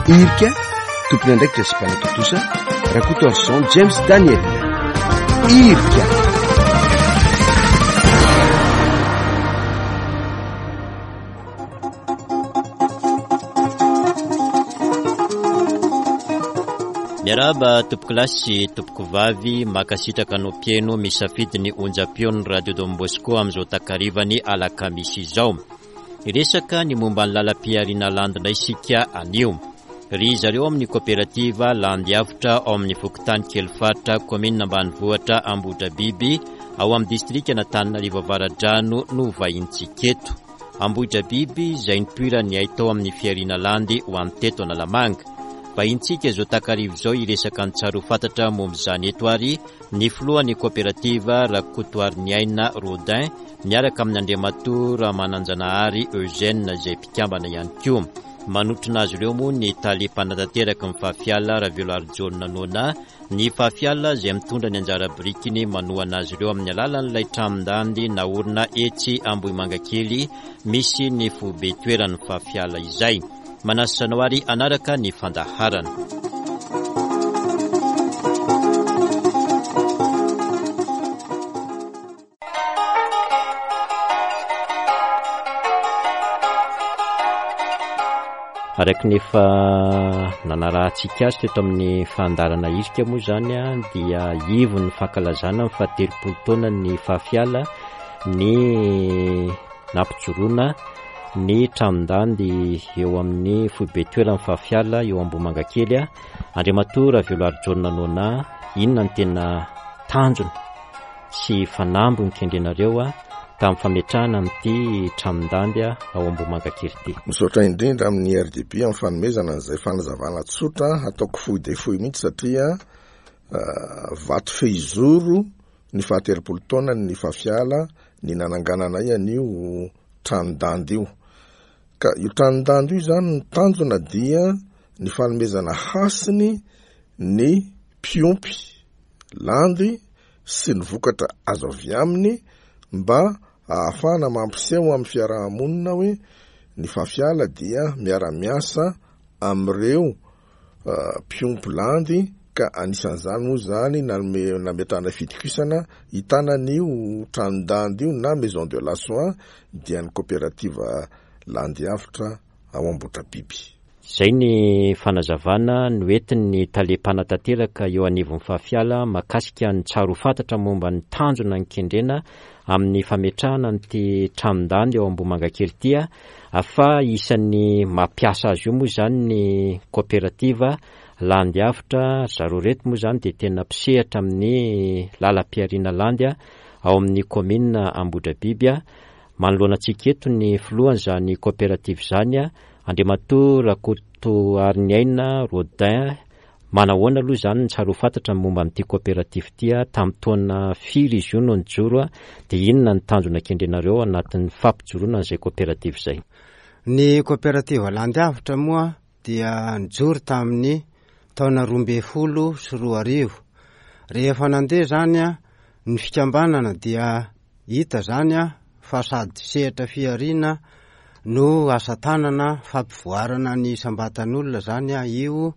Irika, tompon'andraikitra sy mpanatontosa, Rakotoarison James Daniel. Irika. Miarahaba tompokolahy sy tompokovavy, mankasitraka anao mpihaino misafidy ny onjam-peon'ny Radio Don Bosco amin'izao takarivan'ny alakamisy izao. Hiresaka ny momba ny lalam-pihariana landy indray isika anio. Ry zareo amin'ny koperativa Landy Avotra ao amin'ny fokontany Kelifaritra, kaominina ambanivohitra Ambohidrabiby, ao amin'ny distrikan'Antananarivo Avaradrano no vahintsika eto. Ambohidrabiby izay nipoiran'ny haitao amin'ny fihariana landy ho an'ny teto Analamanga. Vahintsika izao takariva izao hiresaka ny tsara ho fantatra momba izany eto ary ny filohan'ny koperativa Rakotoariniaina Rodin miaraka amin'i Andriamatoa Ramananjanahary Eugène izay mpikambana ihany koa. Manotrona azy ireo moa ny tale mpanatanteraka ny Fafiala Raveloarijaona Nona, ny Fafiala izay mitondra ny anjara birikiny manohana azy ireo amin'ny alalan'ilay tranon-dandy naorina etsy Ambohimangakely misy ny foibe toeran'ny Fafiala izay. Manasa anao ary hanaraka ny fandaharana. Araka ny efa nanarahantsika azy teto amin'ny fandaharana irika moa izany dia ivon'ny fankalazana ny fahatelopolo taona ny Fafiala ny nampijoroana ny tranon-dandy eo amin'ny foibe toeran'ny Fafiala eo Ambohimangakely. Andriamatoa Raveloarijaona Nona, inona no tena tanjona sy fanamby nokendrenareo tamin'ny fametrahana an'ity tranon-dandy ao Ambohimangakely ity? Misaotra indrindra amin'ny RDB amin'ny fanomezana an'izay fanazavana tsotra, hataoko fohy dia fohy mihitsy satria vato fehizoro ny fahatelopolo taonany ny Fafiala ny nanangananay an'io tranon-dandy io. Ka io tranon-dandy io izany ny tanjona dia ny fanomezana hasiny ny mpiompy landy sy ny vokatra azo avy aminy mba ahafahana mampiseho amin'ny fiaraha-monina hoe ny Fafiala dia miara-miasa amin'ireo mpiompy landy ka anisan'izany moa izany nanome nametrahana fitokisana hitana an'io tranon-dandy io na maison de la soie dia ny koperativa Landy Avotra ao Ambohitrabiby. Izay ny fanazavana noentin'ny tale mpanatanteraka eo anivon'ny Fafiala mahakasika ny tsara ho fantatra momba ny tanjona nikendrena amin'ny fametrahana an'ity tranon-dandy ao Ambohimangakely ity fa isan'ny mampiasa azy io moa izany ny kaoperativa Landy Avotra, ry zareo ireto moa izany dia tena mpisehatra amin'ny lalam-pihariana landy ao amin'ny kaominina Ambohidrabiby. Manoloana antsika eto ny filohan'izany kaoperativa izany, Andriamatoa Rakotoariniaina Rodin, manahoana aloha izany ny tsara ho fantatra ny momba an'ity kaoperativa ity, tamin'ny taona firy izy io no nijoro, dia inona ny tanjona kendrenareo ao anatin'ny fampijoroana an'izay kaoperativa izay? Ny kaoperativa Landiavotra moa dia nijoro tamin'ny taona 2012. Rehefa nandeha izany ny fikambanana dia Hita izany fa sady sehatra fihariana no asa tanana fampivoarana ny isam-batan'olona izany io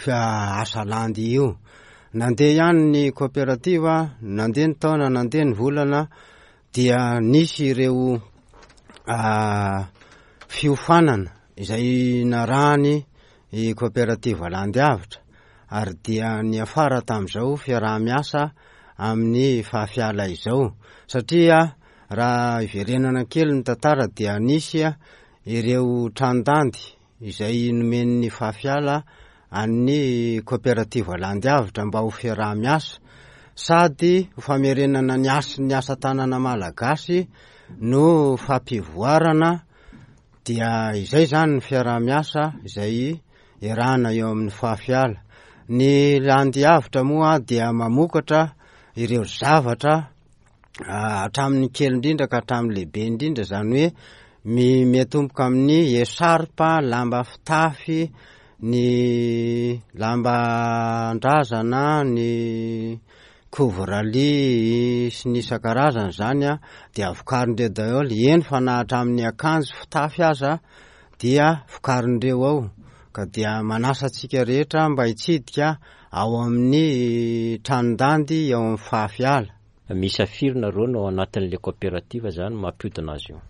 asa landy io. Nandeha ihany ny koperativa, nandeha ny taona, nandeha ny volana dia nisy ireo fiofanana izay narahany i Koperativa Landy Avotra ary dia niafara tamin'izao fiaraha-miasa amin'ny Fahafiala izao satria raha iverenana kely ny tantara dia nisy ireo tranon-dandy izay nomen'ny Fahafiala an'ny Koperativa Landy Avotra mba ho fiaraha-miasa sady ho famerenana ny hasin'ny asa tanana malagasy no fampivoarana Dia izay izany ny fiaraha-miasa izay iarahana eo amin'ny Fafiala. Ny Landy Avotra moa dia mamokatra ireo zavatra hatramin'ny kely indrindra ka hatramin'ny lehibe indrindra, izany hoe miatomboka amin'ny echarpe, lamba fitafy, ny lamban-drazana, ny Couvre lit sy ny isan-karazany izany dia vokarin'ireo daholo, eny fa na hatramin'ny akanjo fitafy aza. dia vokarin'ireo ao ka dia manasa antsika rehetra mba hitsidika ao amin'ny tranon-dandy ao amin'ny Fahafiala. Miisa firy nareo no ao anatin'ilay coopérative zany mampiodina azy io?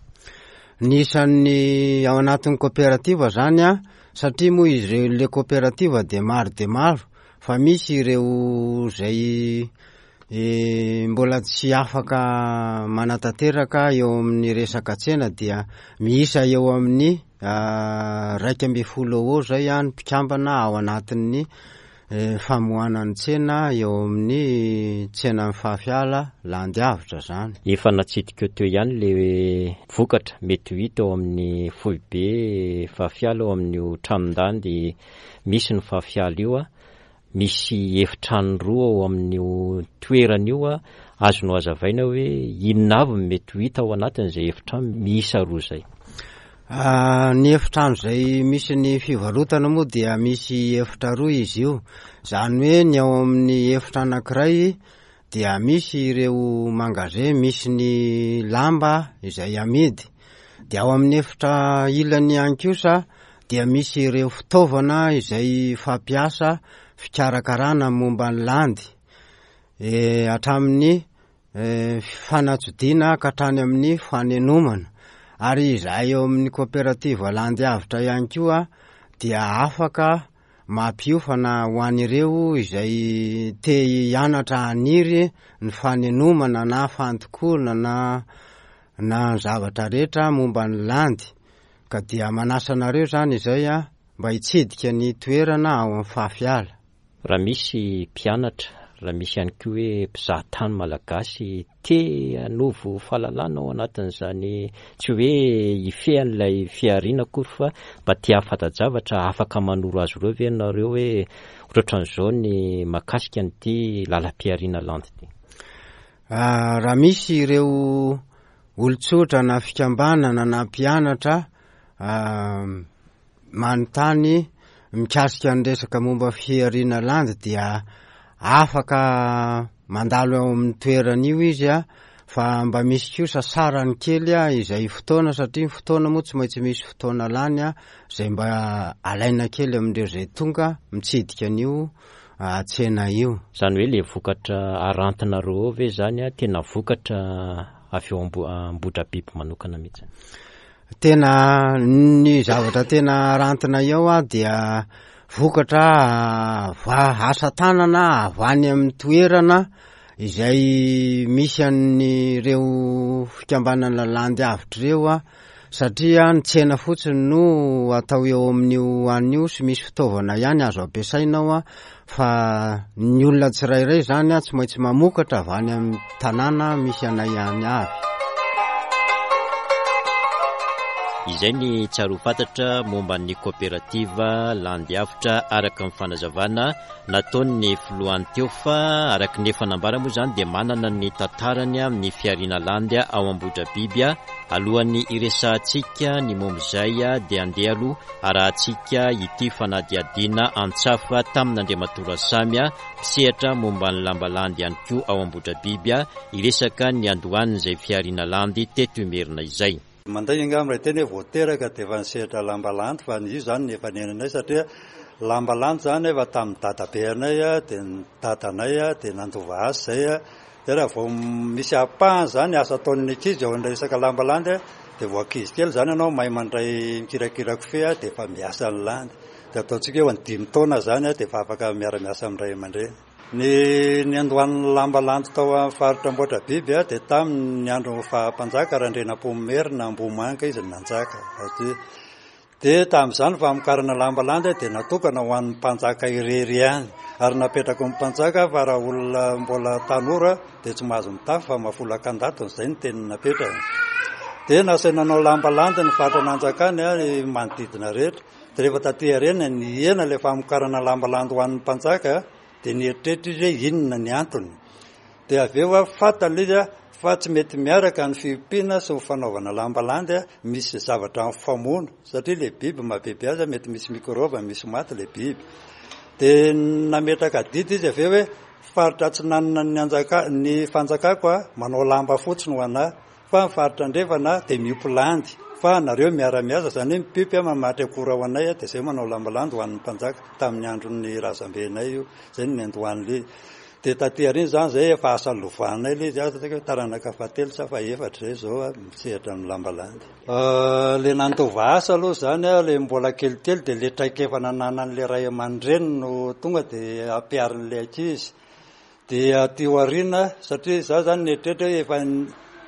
Ny isan'ny ao anatin'ny coopérative zany an, satria moa izy ireo ilay coopérative dia maro dia maro fa misy ireo izay mbola tsy afaka manatanteraka eo amin'ny resaka tsena dia miisa eo amin'ny 11 eo eo zay ny mpikambana ao anatin'ny famohana ny tsena eo amin'ny tsenan'ny Fahafiala Landiavotra zany. Efa natsidika teo ihany le vokatra mety ho hita ao amin'ny foibe Fahafiala ao amin'io tranon-dandy misy ny Fahafiala io. Misy efitrano roa ao amin'io toerana io, azonao hazavaina hoe inona avy no mety ho hita ao anatin'izay efitrano miisa roa izay? Ny efitrano izay misy ny fivarotana moa dia misy efitra roa izy io, izany hoe ny ao amin'ny efitra anankiray dia misy ireo magasin misy ny lamba izay amidy, dia ao amin'ny efitra ilany ihany kosa dia misy ireo fitaovana izay fampiasa fikarakarana momba ny landy, hatramin'ny fanatsodiana ka hatrany amin'ny fanenomana. Ary izahay eo amin'ny coopérative Landy Avotra ihany koa dia afaka mampiofana ho an'ireo izay te hianatra haniry ny fanenomana na fandokoana na na ny zavatra rehetra momba ny landy. Ka dia manasa anareo izany izay mba hitsidika ny toerana ao amin'ny Fafiala. Raha misy mpianatra, raha misy ihany koa hoe mpizaha tany malagasy te hanovo fahalalana ao anatin'izany, tsy hoe hifehy an'ilay fihariana akory fa mba te hahafanta-javatra, afaka manoro azy ireo ve ianareo hoe ohatrohatran'izao ny mahakasika an'ity lalam-pihariana landy ity? Raha misy ireo Olon-tsotra na fikambanana na mpianatra manontany mikasika ny resaka momba fihariana landy dia afaka mandalo ao amin'ny toerana io izy a, fa mba misy kosa sarany kely a izay fotoana satria ny fotoana moa tsy maintsy misy fotoana lany a, izay mba alaina kely amin'ireo izay tonga mitsidika an'io tsena io. Izany hoe le vokatra arantinareo ao ve izany a tena vokatra avy eo Ambohidrabiby manokana mihitsy? Tena ny zavatra tena arantina eo a dia vokatra va asa tanana avy any amin'ny toerana izay misy an'ireo fikambanana landy avotra ireo a, satria ny tsena fotsiny no atao eo amin'io an'io io sy misy fitaovana ihany azo ampiasaina ao a, fa ny olona tsirairay zany a tsy maintsy mamokatra avy any amin'ny tanàna misy anay any avy. Izay ny tsara ho fantatra momba ny koperativa Landiavotra araka ny fanazavana nataon'ny filohany teo fa araka ny efa nambara moa izany dia manana ny tantarany amin'ny fihariana landy ao Ambohidrabiby. Alohan'ny hiresahantsika ny momba izay dia andeha aloha arahantsika ity fanadihadiana antsafa tamin'Andriamatoa Rasamy, mpisehatra momba ny lamba landy ihany koa ao Ambohidrabiby, hiresaka ny niandohan'izay fihariana landy teto Imerina izay. Mandainga angamba raha hiteny hoe vao teraka dia efa nisehatra lamba landy fa io izany no efa niainanay satria lamba landy izany efa tamin'ny dadabeanay dia ny dadanay dia nandova azy izay. Dia raha vao misy ampahany izany asa ataon'ny ankizy ao amin'ilay resaka lamba landy dia vao ankizy kely izany ianao mahay mandray mikirakira kofehy dia efa miasa ny landy. Dia ataontsika hoe ho an'ny dimy taona izany dia efa afaka miara-miasa amin'ny ray aman-dreny. Ny niandohan'ny lamba landy tao amin'ny faritra Ambohidrabiby dia tamin'ny andron'ny faha-mpanjaka Randrianampoinimerina Ambohimanga izy no nanjaka. Dia tamin'izany famokarana lamba landy dia natokana ho an'ny mpanjaka irery ihany. Ary napetrako ny mpanjaka fa raha olona mbola tanora dia tsy mahazo mitafy fa mafolaka an-datony, izay no teny napetrany. Dia nasaina nanao lamba landy ny faritra nanjakany ny manodidina rehetra. Dia rehefa taty aoriana nihena ilay famokarana lamba landy ho an'ny mpanjaka dia nieritreritra izy hoe inona ny antony. Dia avy eo fantany ilay izy fa tsy mety miaraka ny fiompiana sy ny fanaovana lamba landy, misy zavatra mifamono satria ilay biby mahabiby azy mety misy mikrôba, misy maty ilay biby. Dia nametraka didy izy avy eo hoe faritra atsinanana ny anjaka ny fanjakako manao lamba fotsiny ho anà fa ny faritra andrefana dia miompy landy. Fa nareo miara-miasa, izany hoe mipipy a, mamatry akora ho anay a, dia izay manao lamba landy ho an'ny mpanjaka, tamin'ny andron'ny razambenay io, izay no niandohan'ilay izy. Dia taty aoriana izany izay efa asa lovanay ilay izy, asa hoe taranaka fahatelo sa fahefatra izay izao a, misehatra amin'ny lamba landy. Ilay nandova asa aloha izany a, ilay mbola kelikely dia ilay traikefa nananan'ilay ray aman-dreny no tonga dia ampiharin'ilay ankizy. Dia aty aoriana, satria izaho izany nieritreritra hoe efa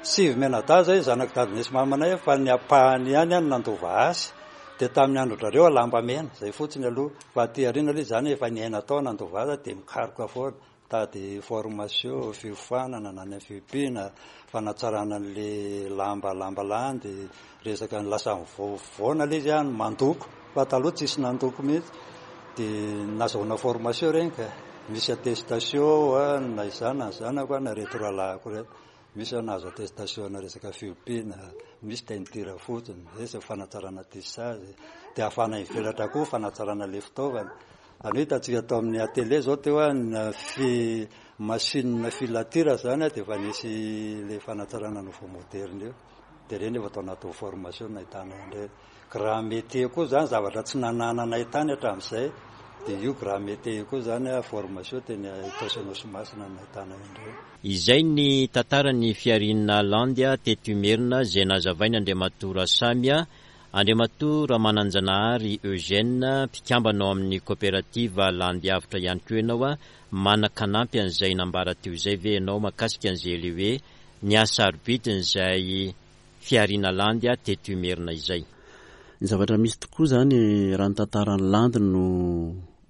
sivy mianadahy izay zanak'i dadinay sy mamanay fa ny ampahany ihany no nandova azy. Dia tamin'ny andron-drareo lamba mena, izay fotsiny aloha. Fa aty aoriana aloha izany efa niaina tao nandova azy dia mikaroka foana. Mitady formation, fiofanana na ny fiompiana, fanatsarana an'ilay lamba lamba landy, resaka ny lasa mivoana ilay izy an, mandoko, fa taloha tsisy nandoko mihitsy, dia nazahoana formation ireny ka, misy attestation an, na izaho na ny zanako an, na ireto rahalahiko ireto, misy aho nahazo attestation ana resaka fiompiana, misy teinture fotsiny, resaka fanatsarana tissage, dia ahafahana mivelatra koa fanatsarana ilay fitaovana. Izany hoe hitantsika tao amin'ny atelier izao teo an, fi machine filature izany dia efa nisy ilay fanatsarana nouveau moderne io. Dia ireny efa tao anatin'ny formation nahitana an'ireny. Grand métier koa izany zavatra tsy nanananay tany hatramin'izay dia io grand métier io koa izany formation teny Itaosy Anosimasina no nahitana an'ireny. Izay ny tantaran'ny fihariana Landy teto Imerina izay nazavain'Andriamatoa Rasamy Andriamatoa Ramananjanahary Eugène, mpikambana ao amin'ny Koperativa Landiavotra ihany koa ianao, manan-kanampy an'izay nambara teo izay ve ianao mahakasika an'izay ilay hoe ny hasarobidin'izay fihariana landy teto Imerina izay? Ny zavatra misy tokoa izany raha ny tantaran'ny landy no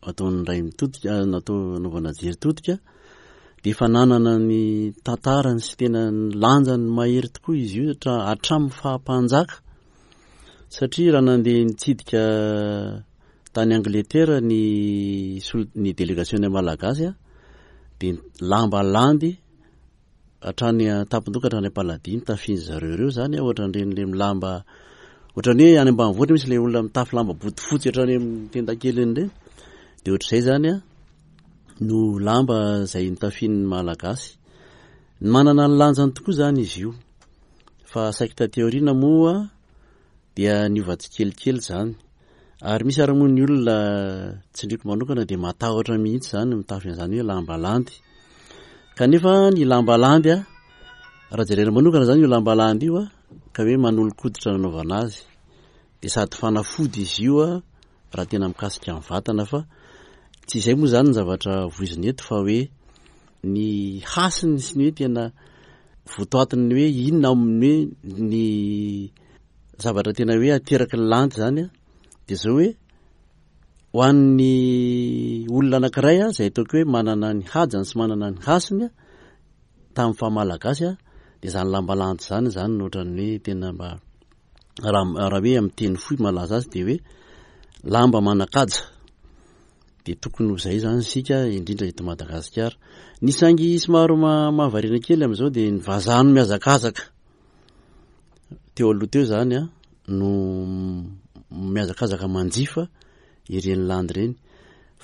ataon'ny ray mitodika, natao anaovana jery todika dia efa nanana ny tantarany sy tena ny lanjany mahery tokoa izy io hatramin'ny faha-mpanjaka Satria raha nandeha nitsidika tany Angletera ny ny delegasiona malagasy dia lamba landy hatrany an-tampon-doha ka hatrany am-paladia nitafian'ny zareo ireo izany ohatran'ireny le milamba ohatran'ny hoe any ambanivohitra misy ilay olona mitafy lamba bodofotsy hatrany amin'ny tendakeliny ireny dia ohatr'izay izany no lamba izay nitafian'ny malagasy. Manana ny lanjany tokoa izany izy io. Fa saiky taty aoriana moa dia niova tsikelikely izany. Ary misy ary moa ny olona tsindriako manokana dia matahotra mihitsy izany mitafy an'izany hoe lamba landy. Kanefa ny lamba landy a, raha jerena manokana izany io lamba landy io a, ka hoe manolo-koditra nanaovana azy, dia sady fanafody izy io a, raha tena mikasika ny vatana fa tsy izay moa izany ny zavatra voizina eto fa hoe ny hasiny sy ny hoe tena votoatin'ny hoe inona amin'ny hoe ny zavatra tena hoe ateraky ny landy izany a dia izao hoe ho an'ny olona anankiray a izay ataoko hoe manana ny hajany sy manana ny hasiny a tamin'ny faha malagasy a dia izany lamba landy izany izany no ohatran'ny hoe tena mba raha raha hoe amin'ny teny fohy malaza azy dia hoe lamba manan-kaja dia tokony ho izay izany isika indrindra eto Madagasikara. Ny saingy somary mahavariana kely amin'izao dia ny vazaha no mihazakazaka teo aloha teo izany a no mihazakazaka manjifa ireny landy ireny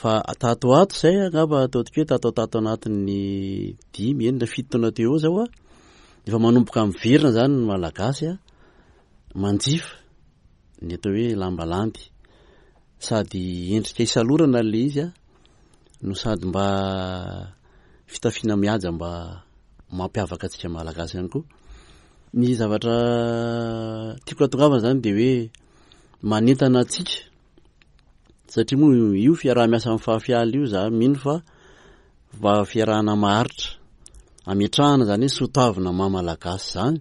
fa tato ato izay angamba ataontsika hoe tato tato anatin'ny dimy enina fito taona teo eo izao a efa manomboka miverina izany ny malagasy a manjifa ny atao hoe lamba landy sady endrika isalorana le izy a no sady mba fitafiana mihaja mba mampiavaka antsika malagasy ihany koa ny zavatra tiako atongavana zany de hoe manentana antsika satria moa io fiaraha-miasa amin'ny fahafiala io za mino fa mba fiarahana maharitra ametrahana zany hoe soatoavina maha malagasy zany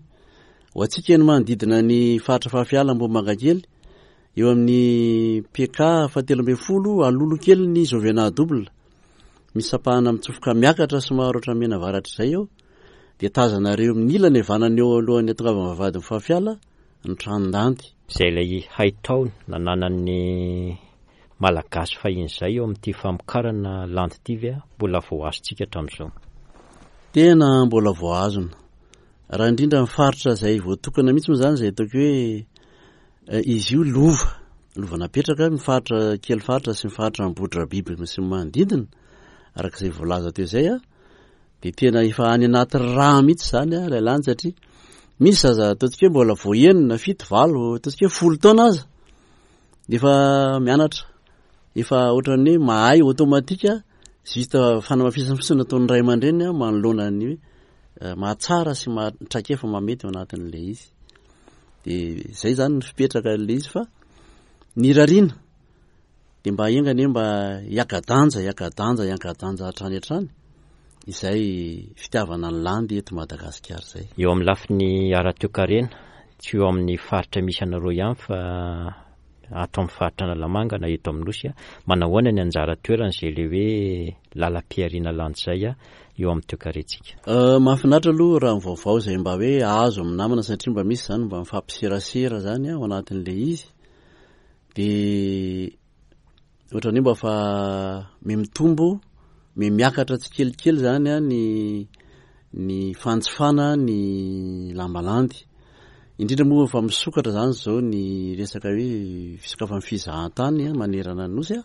ho antsika ny manodidina ny faritra fahafiala Ambohimangakely eo amin'ny PK fahatelo ambin'ny folo alolo kely ny Jovena double misy sampahana mitsofoka miakatra somary ohatran'ny mianavaratra izay eo dia tazanareo amin'ny ilany havanana eo alohan'ny atongavana vavahadin'ny fahafiala ny tranon-dandy. Izay ilay haitao nananan'ny Malagasy fahiny izay eo amin'ity famokarana landy ity ve mbola voahazontsika hatramin'izao? Tena mbola voahazona. Raha indrindra ny faritra izay voatokana mihitsy moa izany izay ataoko hoe eh, izy io lova, lova napetraka ny faritra kely faritra sy ny faritra Ambohidrabiby sy ny manodidina, araka izay voalaza teo izay a. Dia tena efa any anaty rà mihitsy izany ilay landy satria Misy zaza ataontsika hoe mbola vao enina, fito, valo, ataontsika hoe folo taona aza dia efa mianatra, efa ohatran'ny hoe mahay automatique, juste fanamafisana fotsiny nataon'ny ray aman-dreny manoloana ny hoe eh, mahatsara sy maha traikefa mahamety ao anatin'ilay izy. Dia izay izany ny fipetraka ilay izy fa ny irariana dia mba enga anie mba hiaka-danja, hiaka-danja, hiaka-danja hatrany hatrany izay fitiavana ny landy eto Madagasikara izay. Eo amin'ny lafiny ara-toekarena, tsy eo amin'ny faritra misy anareo ihany fa ato amin'ny faritra Analamanga na eto amin'ny Nosy, manahoana ny anjara toeran'izay ilay hoe lalam-pihariana landy izay eo amin'ny toekarentsika? Mahafinaritra aloha raha ny vaovao izay mba hoe azo amin'ny namana satria mba misy izany mba mifampiserasera izany ao anatin'ilay izy. Dia ohatran'ny hoe mba fa mihamitombo, mihamiakatra tsikelikely izany an ny ny fanjifana ny lamba landy. Indrindra moa fa misokatra izany izao ny resaka hoe fisokafan'ny fizahantany manerana ny Nosy an.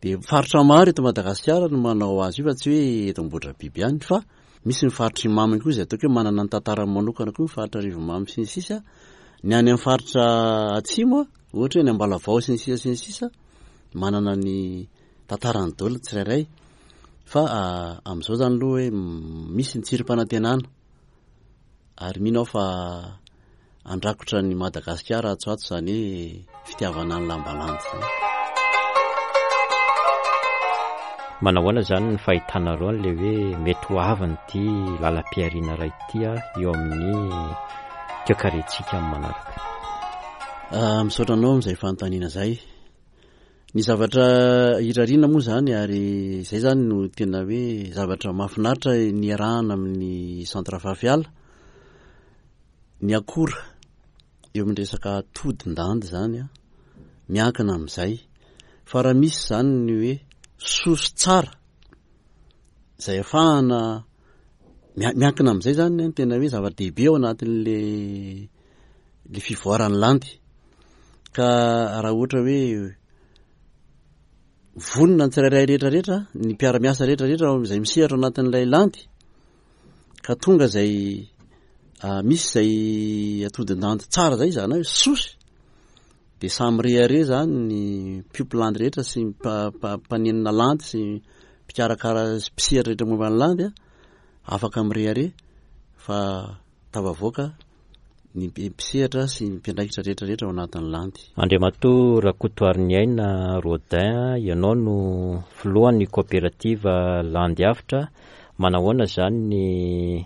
Dia faritra maro eto Madagasikara no manao azy io fa tsy hoe eto Ambohidrabiby ihany fa misy ny faritr'i Imamo koa izay ataoko hoe manana ny tantarany manokana koa ny faritra Arivonimamo sy ny sisa. Ny any amin'ny faritra atsimo, ohatra hoe any Ambalavao sy ny sisa sy ny sisa, manana ny tantarany daholo ny tsirairay. Fa amin'izao izany aloha hoe misy ny tsirim-panantenana. Ary mino aho fa handrakotra an'i Madagasikara atsy ho atsy izany hoe fitiavana ny lamba landy izany. Manahoana izany ny fahitanareo an'ilay hoe mety ho avin'ity lalam-pihariana iray ity eo amin'ny toekarentsika amin'ny manaraka? Misaotra anao amin'izay fanontaniana izay. Ny zavatra irariana moa izany ary izay izany no tena hoe zavatra mahafinaritra niarahana amin'ny Centre Fafiala, ny akora eo amin'ny resaka atodin-dandy izany an, miankina amin'izay. Fa raha misy izany ny hoe source tsara izay ahafahana miankina amin'izay izany ny tena hoe zava-dehibe ao anatin'le le fivoaran'ny landy. Ka raha ohatra hoe vonona ny tsirairay rehetra rehetra, ny mpiara-miasa rehetra rehetra izay misehatra ao anatin'ilay landy, ka tonga izay ah, misy izay atodin-dandy tsara izay, izany hoe sosy, dia samy rehareha izany ny mpiompy landy rehetra sy ny mpanenina landy sy mpikarakara sy mpisehatra rehetra momba ny landy, afaka mirehareha fa tafavoaka ny mpisehatra sy ny mpiandraikitra rehetra rehetra ao anatin'ny landy. Andriamatoa Rakotoariniaina Rodin, ianao no filohan'ny kaoperativa Landy Avotra, manahoana izany ny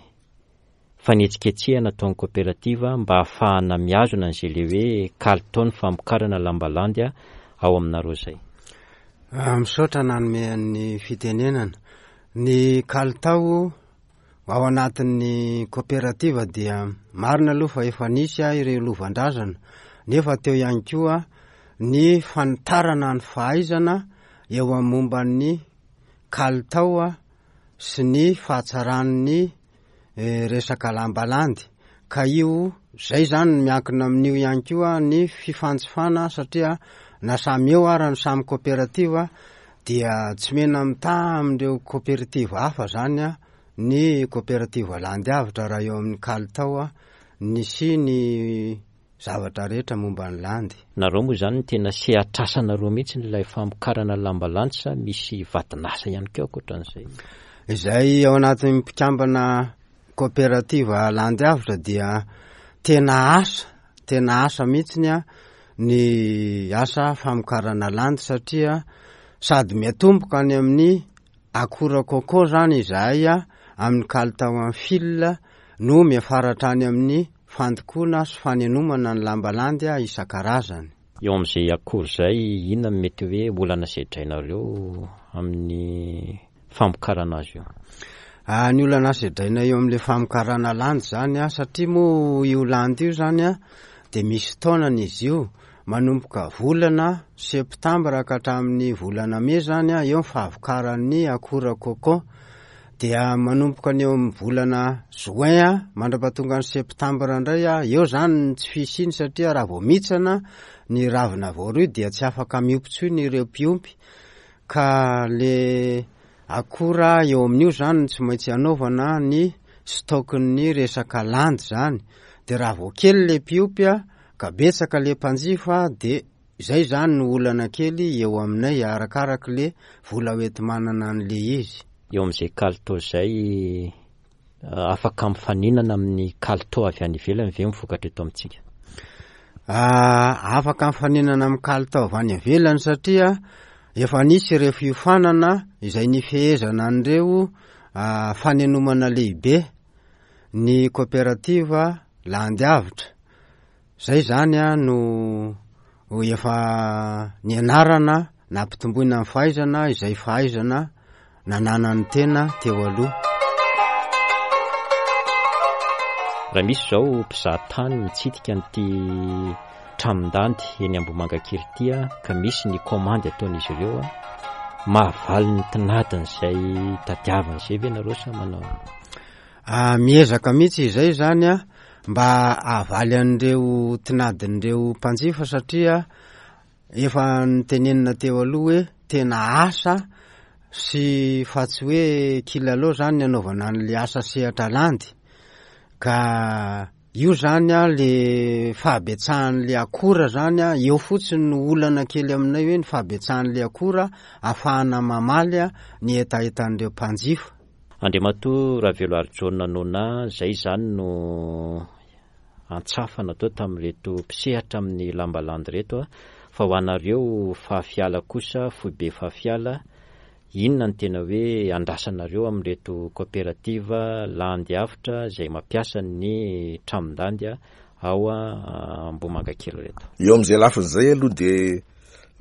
fanetsiketsehana ataon'ny kaoperativa mba hahafahana mihazona an'izay ilay hoe kalitaon'ny famokarana lamba landy ao aminareo izay? Misaotra nanome ny fitenenana. Ny kalitao Ao anatin'ny koperativa dia marina aloha fa efa nisy ireo lovan-drazana nefa teo ihany koa ny fanitarana ny fahaizana eo amin'ny momba ny kalitao sy ny fahatsaran'ny eh, resaka lambalandy ka io zay zany no miankina amin'io ihany koa ny fifanjifana satria na samy eo ara ny samy koperativa dia tsy mena mitaha amin'ireo koperativa hafa zany a ny koperativa landy avotra raha eo amin'ny kalitao ny sy ny zavatra rehetra momba ny landy. Nareo moa izany ny tena sehatr'asanareo mihitsy ilay famokarana lamba landy sa misy vadin'asa ihany koa ankoatran'izay? Izay ao anatin'ny mpikambana Koperativa Landy Avotra dia tena asa, tena asa mihitsiny ny asa famokarana landy satria sady miatomboka any amin'ny akora coco zany izahay amin'ny kalitao amin'ny fil no miafara hatrany amin'ny fandokoana sy fanenomana ny lamba landy isan-karazany. Eo amin'izay akora izay, inona no mety hoe olana sedrainareo amin'ny famokarana azy io? Ah, ny olana sedraina eo amin'ilay famokarana landy zany a, satria moa io landy io zany a de misy taonany izy io, manomboka volana septambra ka hatramin'ny volana mey zany a, eo ny fahavokaran'ny akora cocon, dia manomboka ny eo amin'ny volana juin a mandrapatonga ny septambra indray a, eo zany ny tsy fisiany satria raha vao mihitsana ny ravina voaroy dia tsy afaka miompy intsony ireo mpiompy Ka le akora eo amin'io zany no tsy maintsy anaovana ny stock-n'ny resaka landy zany, de raha vao kely le mpiompy a, ka betsaka le mpanjifa de izay zany no olana kely eo aminay arakaraky le vola hoenti-manana an'le izy. Eo amin'izay kalitao izay, afaka mifaninana amin'ny kalitao avy any ivelany ve ny vokatra eto amintsika? Afaka mifaninana amin'ny kalitao avy any ivelany satria efa nisy ireo fiofanana izay nifehezana an'ireo fanenomana lehibe ny koperativa Landy Avotra. Zay zany no efa nianarana nampitomboina ny fahaizana izay fahaizana nananan'ny tena teo aloha. Raha misy izao mpizaha tany mitsidika an'ity tranon-dandy eny Ambohimangakely ity ka misy ny kaomandy ataon'izy ireo, mahavaly ny tinadiny izay tadiaviny izay ve nareo sa manao? Miezaka mihitsy izay izany mba hahavaly an'ireo tinadin'ireo mpanjifa satria efa notenenina teo aloha hoe tena asa sy fa tsy hoe kilalao zany ny anaovana an'le asa sehatra landy ka io zany a le fahabetsahan'le akora zany a eo fotsiny no olana kely aminay hoe ny fahabetsahan'le akora afahana mamaly a ny hetahetan'ireo mpanjifa. Andriamatoa Raveloarijaona Nona, izay izany no antsafa natao tamin'ireto mpisehatra amin'ny lamba landy ireto, fa ho anareo Fahafiala kosa, foibe Fahafiala, inona no tena hoe andrasanareo amin'ireto kaoperativa landy avotra izay mampiasa ny tranon-dandy ao Ambohimangakely ireto? Eo amin'izay lafiny izay aloha dia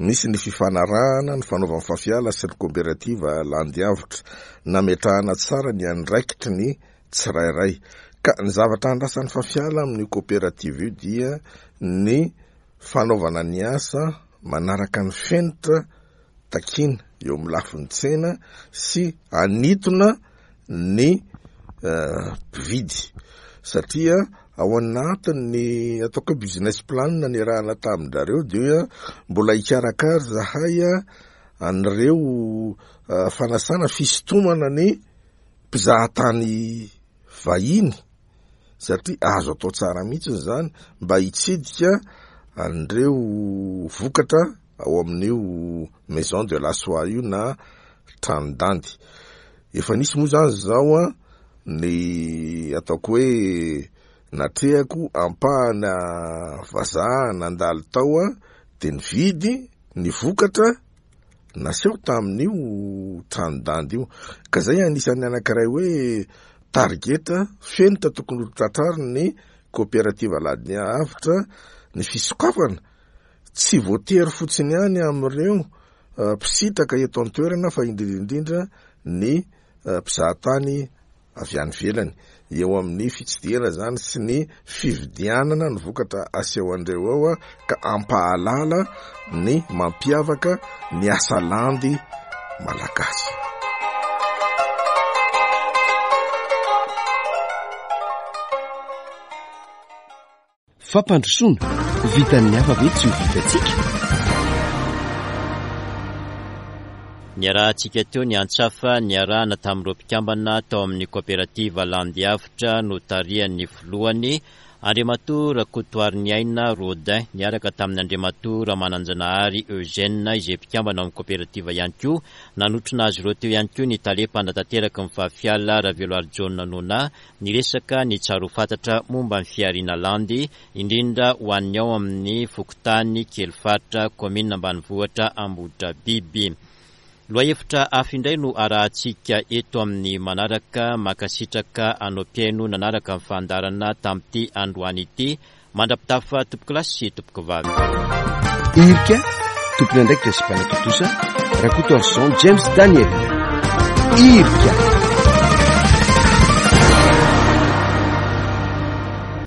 Nisy ny fifanarahana nifanaovan'ny Fafiala sy ny Koperativa Landiavotra, nametrahana tsara ny andraikitry ny tsirairay. Ka ny zavatra andrasan'ny Fafiala amin'io koperativa io dia ny fanaovana ny asa manaraka ny fenitra takiana eo amin'ny lafiny tsena sy hanintona ny mpividy satria ao anatin'ny ataoko hoe business plan niarahana tamin-drareo dia mbola hikarakara zahay an'ireo fanasana fisintomana ny mpizahatany vahiny satria azo atao tsara mihitsy izany mba hitsidika an'ireo vokatra ao amin'io maison de la soie io na tranon-dandy. Efa nisy moa zany zao an ny ataoko hoe natrehako ampahana vazaha nandalo tao an de nividy ny vokatra naseho tamin'io tranon-dandy io. Ka zay anisan'ny anankiray hoe target fenitra tokony ho tratrariny ny coopérative Aladiavotra ny fisokafana Tsy voatery fotsiny ihany amin'ireo mpisitraka eto an-toerana fa indrindra indrindra ny mpizahatany avy any ivelany. Eo amin'ny fitsidihana izany sy ny fividianana ny vokatra aseho an'ireo ao ka hampahalala ny mampiavaka ny asa landy malagasy. Fampandrosoana, vitan'ny hafa ve tsy ho vitantsika? Niarahantsika teo ny antsafa niarahana tamin'ireo mpikambana tao amin'ny kaoperativa Landiavotra notarihan'ny filohany, Andriamatoa Rakotoariniaina Rodin, niaraka tamin'ny Andriamatoa Ramananjanahary Eugène izay mpikambana ao amin'ny kaoperativa ihany koa. Nanotrona azy ireo teo ihany koa ny tale mpanatanteraky ny Fafiala, Raveloarijaona Nona, Niresaka ny tsara ho fantatra momba ny fihariana landy, indrindra ho an'ny ao amin'ny fokontany Kelifaritra, kaominina ambanivohitra Ambohidrabiby. Lohahevitra hafa indray no arahantsika eto amin'ny manaraka. Mankasitraka anao mpihaino nanaraka ny fandaharana tamin'ity androany ity. Mandra-pitafa tompokolahy sy tompokovavy. Irika, tompon'andraikitra sy mpanatontosa, Rakotoarison James Daniel. Irika.